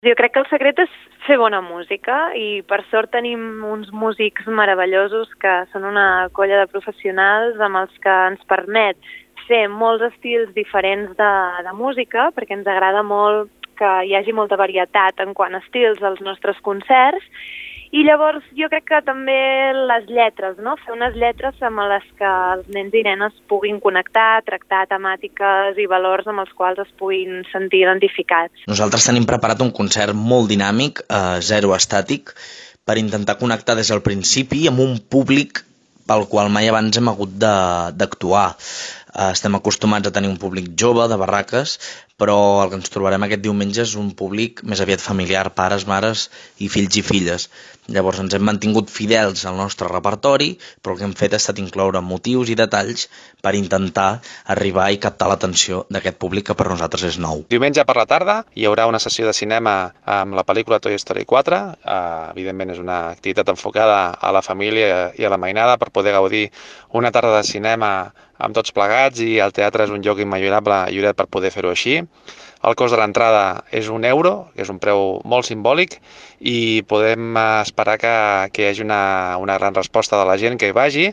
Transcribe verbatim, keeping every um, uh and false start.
Jo crec que el secret és fer bona música i per sort tenim uns músics meravellosos que són una colla de professionals amb els que ens permet fer molts estils diferents de, de música, perquè ens agrada molt que hi hagi molta varietat en quant a estils als nostres concerts. I llavors jo crec que també les lletres, no? Fer unes lletres amb les que els nens i nenes puguin connectar, tractar temàtiques i valors amb els quals es puguin sentir identificats. Nosaltres tenim preparat un concert molt dinàmic, eh, zero estàtic, per intentar connectar des del principi amb un públic pel qual mai abans hem hagut d'actuar. Eh, estem acostumats a tenir un públic jove, de barraques, però el que ens trobarem aquest diumenge és un públic més aviat familiar, pares, mares i fills i filles. Llavors ens hem mantingut fidels al nostre repertori, però el que hem fet ha estat incloure motius i detalls per intentar arribar i captar l'atenció d'aquest públic que per nosaltres és nou. Diumenge per la tarda hi haurà una sessió de cinema amb la pel·lícula Toy Story quatre. Uh, evidentment és una activitat enfocada a la família i a la mainada per poder gaudir una tarda de cinema amb tots plegats, i el teatre és un lloc immillorable, Lloret, per poder fer-ho així. El cost de l'entrada és un euro, que és un preu molt simbòlic, i podem esperar que, que hi hagi una, una gran resposta de la gent que hi vagi.